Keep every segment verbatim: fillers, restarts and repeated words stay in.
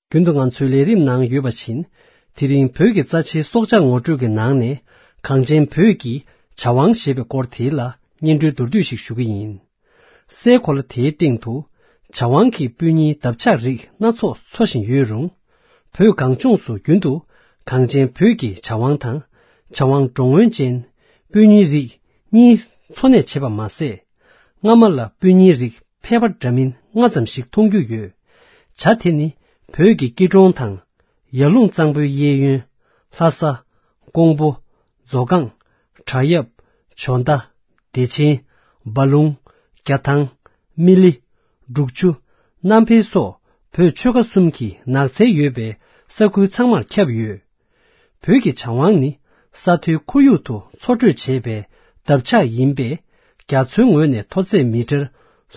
རྒྱུན་དུ་ང་ཚོའི་ལས་རིམ་ནང་ཡོད་པ་བཞིན། དེ་རིང་བོད་ཀྱི་རྩ་ཆེའི་སྲོག་ཆགས་ངོ་སྤྲོད་ཀྱི་ནང་ནས། གངས་ཅན་བོད་ཀྱི་བྱ་དབང་ཞེས་པའི་སྐོར་དེ་ལ་སྙན་སྒྲོན་མདོར་བསྡུས་ཤིག་ཞུ་གི་ཡིན། སའི་གོ་ལ་དེའི་སྟེང་དུ་བྱ་དབང་གི་སྤུན་ཉེའི་འདབ་ཆགས་རིགས་སྣ་ཚོགས་འཚོ་བཞིན་ཡོད་རུང་། བོད་གངས་ལྗོངས་སུ་རྒྱུན་དུ་གངས་ཅན་བོད་ཀྱི་བྱ་དབང་དང་། བྱ་དབང་འགྲོ་མགོན་ཅན་སྤུན་ཉེའི་རིགས་གཉིས་འཚོ་གནས་བྱེད་པ་མ་ཟད། སྔ་མ་ལ་སྤུན་ཉེའི་རིགས་ཕལ་པ་འདྲ་མིན་ལྔ་ཙམ་ཞིག་མཐོང་རྒྱུ་ཡོད། བྱ་དེ་ནི་བོད་ཀྱི་སྐྱིད་གྲོང་དང་། ཡར་ཀླུང་གཙང་པོའི་གཡས་གཡོན། ལྷ་ས། ཀོང་པོ། མཛོ་སྒང་། བྲག་གཡབ། འཇོ་མདའ། བདེ་ཆེན། འབའ་ལུང་། རྒྱ་ཐང་། སྨི་ལི། འབྲུག་ཆུ། གནམ་འཕེལ་སོགས་བོད་ཆོལ་ཁ་གསུམ་གྱི་ནགས་ཚལ་ཡོད་པའི་ས་ཁུལ་ཚང་མར་ཁྱབ་ཡོད། བོད་ཀྱི་བྱ་དབང་ནི་ས་མཐོའི་ཁོར་ཡུག་ཏུ་འཚོ་སྡོད་བྱེད་པའི་འདབ་ཆགས་ཡིན་པས། རྒྱ་མཚོའི་ངོས་ནས་མཐོ་ཚད་མི་ཊར་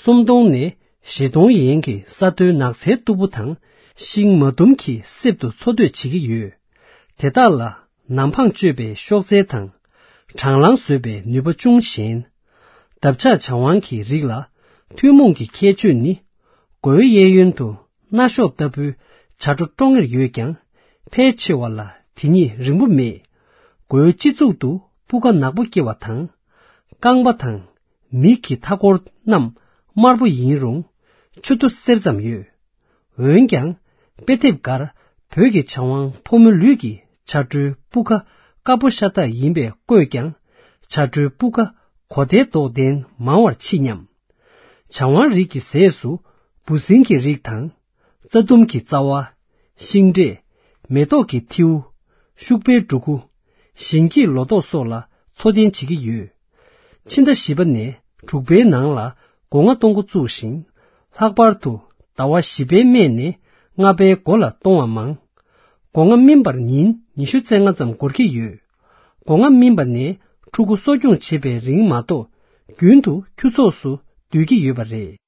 སུམ་སྟོང་ནས་བཞི་སྟོང་ཡན་གྱི་ས་མཐོའི་ནགས་ཚལ་སྟུག་པོ་དང་། ཤིང་མ་དུམ་གྱི་གསེབ་ཏུ་འཚོ་སྡོད་བྱེད་ཀྱི་ཡོད། དེ་དག་ལ་ནམ་འཕང་གཅོད་པའི་གཤོག་རྩལ་དང་། གྲང་ལངས་བཟོད་པའི་ནུས་པ་ཅུང་ཞན། འདབ་ཆགས་བྱ་དབང་གི་རིགས་ལ་ཐུན་མོང་གི་ཁྱད་ཆོས་ནི། མགོའི་གཡས་གཡོན་དུ་སྣ་གཤོག་ལྟ་བུའི་བྱ་སྒྲོ་ཀྲོང་ངེར་ཡོད་ཀྱང་། ཕལ་ཆེ་བ་ལ་དེ་ཉིད་རིང་པོ་མེད། མགོའི་སྤྱི་གཙུག་ཏུ་སྤུ་ཁ་ནག་པོ་སྐྱེ་བ་དང་། རྐང་པ་དང་མིག་གི་མཐའ་འཁོར་རྣམས་དམར་པོ་ཡིན་རུང་། མཆུ་ཏོ་སེར་ཙམ་ཡོད། འོན་ཀྱང་། དཔེ་དེབ་འགར་བོད་ཀྱི་བྱ་དབང་ཕོ་མོ་ལུས་ཀྱི་བྱ་སྒྲོའི་སྤུ་ཁ་དཀར་པོ་ཤ་སྟག་ཡིན་པས་བཀོད་ཀྱང་། བྱ་སྒྲོའི་སྤུ་ཁ་གོ་དའི་མདོག་ལྡན་མང་བར་མཆིས་སྙམ། བྱ་དབང་རིགས་ཀྱི་ཟས་སུ་འབུ་སྲིན་གྱི་རིགས་དང་། རྩྭ་ལྡུམ་གྱི་རྩ་བ། ཤིང་འབྲས། མེ་ཏོག་གི་ཐིའུ། ཤུག་པའི་འབྲུ་གུ། ཞིང་སྐྱེས་ལོ་ཏོག་སོགས་ལ་འཚོ་རྟེན་བྱེད་ཀྱི་ཡོད། ཕྱི་ཟླ་བཞི་པ་ནས་དྲུག་པའི་ནང་ལ་སྒོ་ང་གཏོང་འགོ་བཙུགས་ཤིང་། ལྷག་པར་དུ་ཟླ་བ་བཞི་པའི་སྨད་ནས་ལྔ་པའི་མགོ་ལ་གཏོང་བ་མང་། སྒོ་ང་སྨིན་པར་ཉིན་ཉི་ཤུ་རྩ་ལྔ་ཙམ་འགོར་གྱི་ཡོད། སྒོ་ང་སྨིན་པ་ནས་ཕྲུ་གུ་གསོ་སྐྱོང་བྱེད་པའི་རིང་མ་གཏོགས། རྒྱུན་དུ་ཁྱུ་ཚོགས་སུ་སྡོད་ཀྱི་ཡོད་པ་རེད།